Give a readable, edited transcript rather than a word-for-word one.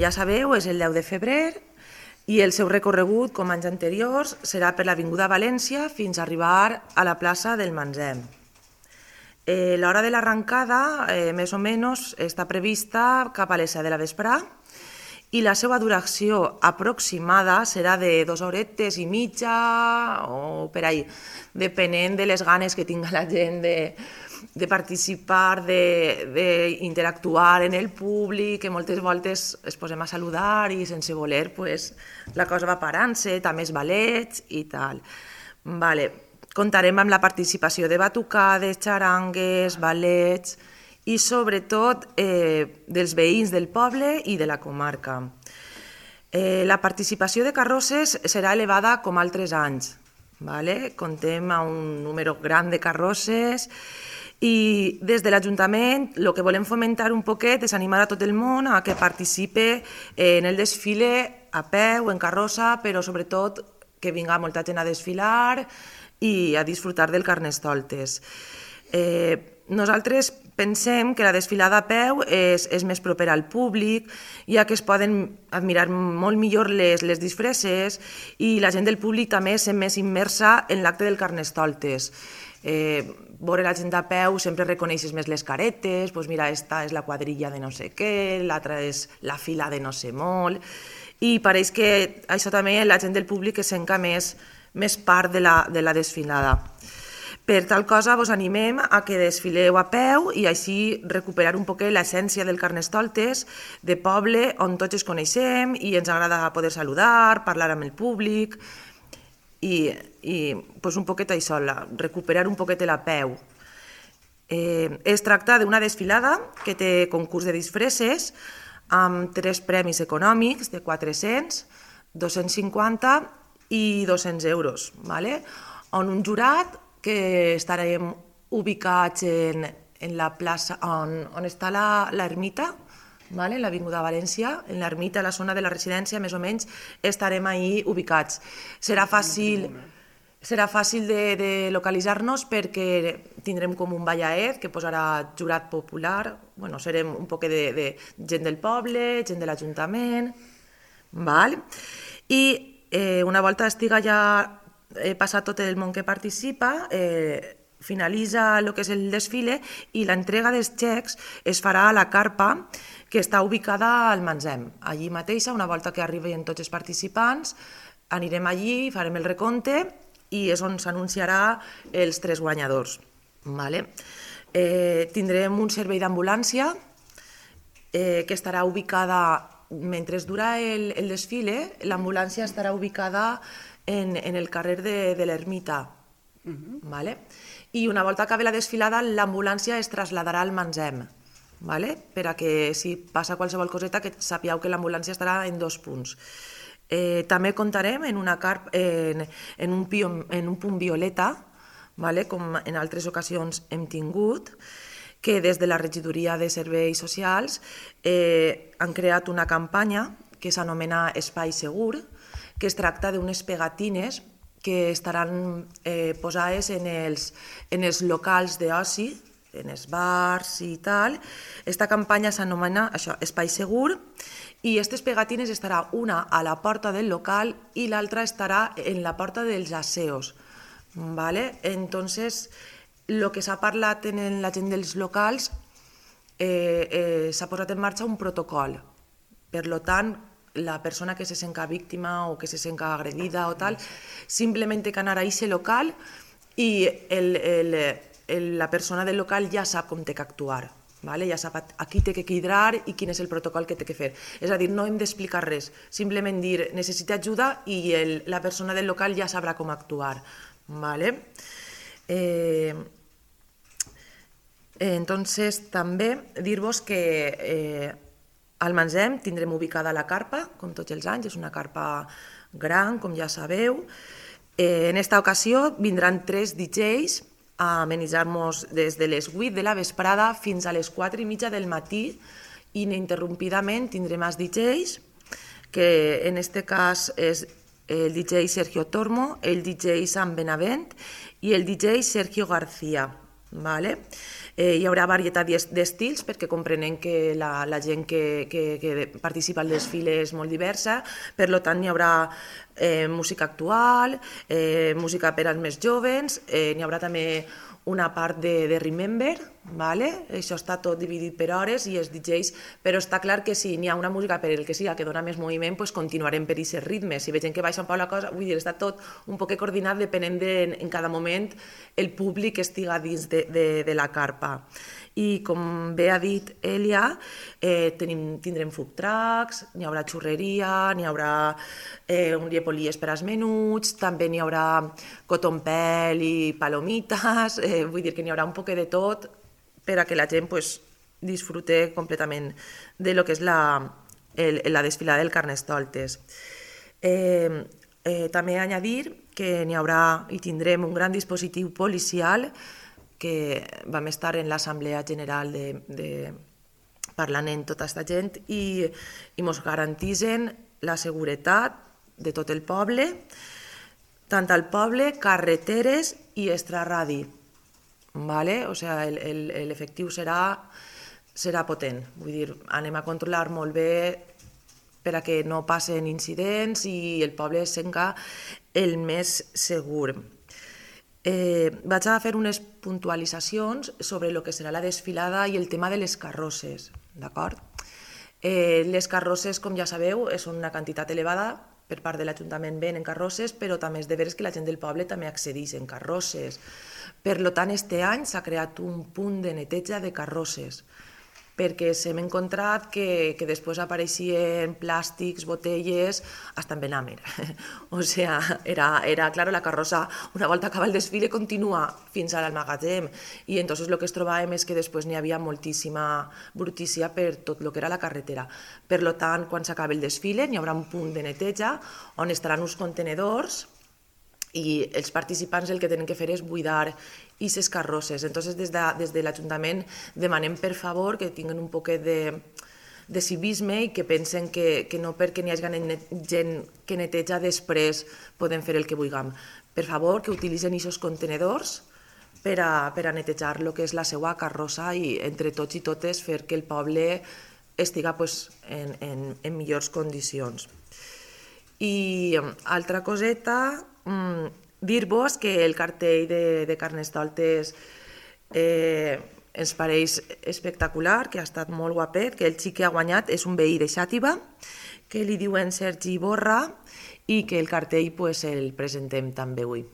ja sabeu, és el 10 de febrer i el seu recorregut, com anys anteriors, serà per l'Avinguda València fins a arribar a la plaça del Manzem. L'hora de l'arrencada, més o menys, està prevista cap a les 7 de la vesprà i la seva duració aproximada serà de 2 horetes i mitja o per ahí, depenent de les ganes que tinga la gent de participar, d'interactuar en el públic, que moltes voltes es posem a saludar i sense voler la cosa va parant-se, també els ballets i tal. Comptarem amb la participació de batucades, xarangues, ballets i sobretot dels veïns del poble i de la comarca. La participació de carrosses serà elevada com altres anys. Comptem amb un número gran de carrosses i des de l'Ajuntament el que volem fomentar un poquet és animar a tot el món a que participe en el desfile a peu, en carrossa, però sobretot que vinga molta gent a desfilar i a disfrutar del Carnestoltes. Nosaltres pensem que la desfilada a peu és més propera al públic, ja que es poden admirar molt millor les disfresses i la gent del públic també és més immersa en l'acte del Carnestoltes. Veure la gent a peu sempre reconeixes més les caretes, mira, esta és la quadrilla de no sé què, l'altra és la fila de no sé molt, i pareix que això també la gent del públic es sent més part de la desfilada. Per tal cosa, vos animem a que desfileu a peu i així recuperar un poquet l'essència del Carnestoltes de poble on tots ens coneixem i ens agrada poder saludar, parlar amb el públic i un poquet això, recuperar un poquet la peu. Es tracta d'una desfilada que té concurs de disfresses amb 3 premis econòmics de 400, 250 i 200 euros, on un jurat que estarem ubicats en la plaça on està l'ermita, en l'Avinguda València, en l'ermita, a la zona de la residència, més o menys, estarem ahí ubicats. Serà fàcil de localitzar-nos perquè tindrem com un ballaet que posarà jurat popular, serem un poc de gent del poble, gent de l'Ajuntament, i una volta estiga ja passat tot el món que participa, finalitza el que és el desfile i l'entrega dels xecs es farà a la carpa que està ubicada al Manzem. Allí mateixa, una volta que arriben tots els participants, anirem allí, farem el recompte i és on s'anunciarà els 3 guanyadors. Tindrem un servei d'ambulància que estarà ubicada, mentre dura el desfile, l'ambulància estarà ubicada en el carrer de l'Ermita. I una volta acabi la desfilada, l'ambulància es traslladarà al Manzem, per a que si passa qualsevol coseta que sapigueu que l'ambulància estarà en 2 punts. També comptarem en un punt violeta, com en altres ocasions hem tingut, que des de la Regidoria de Serveis Socials han creat una campanya que s'anomena Espai Segur, que es tracta d'unes pegatines que estaran posades en els locals d'oci, en els bars i tal. Esta campanya s'anomena Espai Segur i aquestes pegatines estarà una a la porta del local i l'altra estarà en la porta dels aseos. Entonces, el que s'ha parlat en la gent dels locals, s'ha posat en marxa un protocol. Per tant, la persona que se senta víctima o que se senta agredida o tal, simplement té que anar a aquest local i la persona del local ja sap com té que actuar, ja sap a qui té que cridar i quin és el protocol que té que fer. És a dir, no hem d'explicar res, simplement dir necessita ajuda i la persona del local ja sabrà com actuar. Entonces, també dir-vos que al Manzem tindrem ubicada la carpa, com tots els anys, és una carpa gran, com ja sabeu. En esta ocasió vindran 3 DJs a amenitzar-nos des de les 8 de la vesprada fins a les 4 i mitja del matí. Ininterrompidament tindrem els DJs, que en este cas és el DJ Sergio Tormo, el DJ Sam Benavent i el DJ Sergio García. Hi haurà varietat d'estils perquè comprenem que la gent que participa al desfile és molt diversa, per tant hi haurà música actual, música per als més joves, n'hi haurà també una part de Remember, vale? Això està tot dividit per hores i els DJs, però està clar que si n'hi ha una música per el que siga que dona més moviment, pues continuarem per aquests ritmes. Si vegem que baixa un poc la cosa, vull dir, està tot un poc coordinat depenent en cada moment el públic que estiga dins de la carpa. I com bé ha dit Elia, tindrem food trucks, n'hi haurà xurreria, n'hi haurà un llepolies per als menuts, també n'hi haurà cotton-pel i palomites, vull dir que n'hi haurà un poc de tot per a que la gent pues, disfrute completament de lo que és la desfilada del Carnestoltes. També añadir que n'hi haurà i tindrem un gran dispositiu policial que vam estar en l'Assemblea General parlant amb tota aquesta gent i ens garantitzen la seguretat de tot el poble, tant al poble, carreteres i extraradi. ¿Vale? O sea, l'efectiu serà potent. Vull dir, anem a controlar molt bé per a que no passen incidents i el poble siga el més segur. Vaig a fer unes puntualitzacions sobre el que serà la desfilada i el tema de les carrosses, d'acord? Les carrosses, com ja sabeu, són una quantitat elevada, per part de l'Ajuntament ven en carrosses, però també és de veres que la gent del poble també accedeix en carrosses. Per tant, aquest any s'ha creat un punt de neteja de carrosses, perquè s'hem encontrat que després apareixien plàstics, botelles, hasta en Benàmer. O sea, era claro, la carrossa, una volta acaba el desfile, continua fins al magatzem. I entonces lo que es trobàvem és que després n'hi havia moltíssima brutícia per tot el que era la carretera. Per tant, quan s'acabi el desfile, n'hi haurà un punt de neteja on estaran uns contenedors i els participants el que tenen que fer és buidar aquestes carrosses. Entonces, des de l'Ajuntament demanem per favor que tinguin un poquet de civisme i que pensen que no perquè n'hi hagi gent que neteja després podem fer el que vulguem. Per favor, que utilitzen aquests contenedors per a netejar el que és la seva carrossa i entre tots i totes fer que el poble estiga en millors condicions. I altra coseta, dir-vos que el cartell de Carnestoltes ens pareix espectacular, que ha estat molt guapet, que el xic que ha guanyat és un veí de Xàtiva, que li diuen Sergi Borra i que el cartell el presentem també avui.